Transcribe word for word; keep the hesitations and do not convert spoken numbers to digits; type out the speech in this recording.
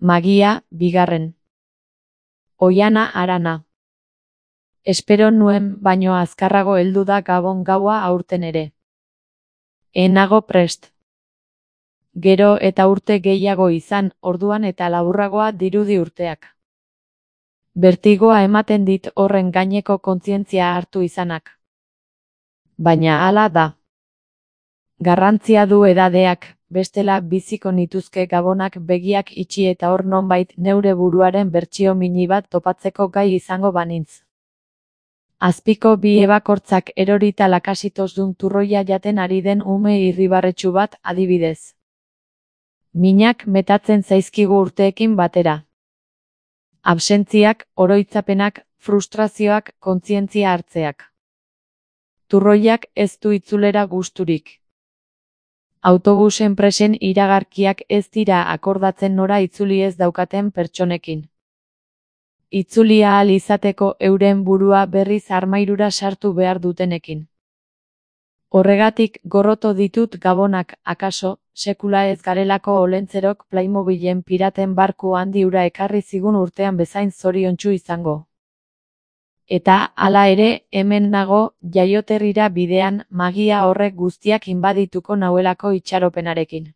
Magia, bigarren. Oiana Arana. Espero nuen baino azkarrago heldu da Gabon gaua aurten ere. Enago prest. Gero eta urte gehiago izan, orduan eta laburragoa dirudi urteak. Bertigoa ematen dit horren gaineko kontzientzia hartu izanak. Baina hala da. Garrantzia du edadeak, bestela biziko nituzke Gabonak begiak itxi eta hor nonbait neure buruaren bertsio mini bat topatzeko gai izango banintz. Azpiko bi ebakortzak erorita lakasitosdun turroia jaten ari den ume irribarretsu bat adibidez. Minak metatzen zaizkigu urteekin batera. Absentziak, oroitzapenak, frustrazioak, kontzientzia hartzeak. Turroiak ez du itzulera gusturik. Autobus enpresen iragarkiak ez dira akordatzen nora itzuli ez daukaten pertsonekin. Itzuli ahal izateko euren burua berriz armairura sartu behar dutenekin. Horregatik gorroto ditut Gabonak, akaso, sekula ez garelako olentzerok Playmobilen piraten barku handi hura ekarri zigun urtean bezain zoriontsu izango. Eta, hala ere, hemen nago, jaioterrira bidean, magia horrek guztiak inbadituko nauelako itxaropenarekin.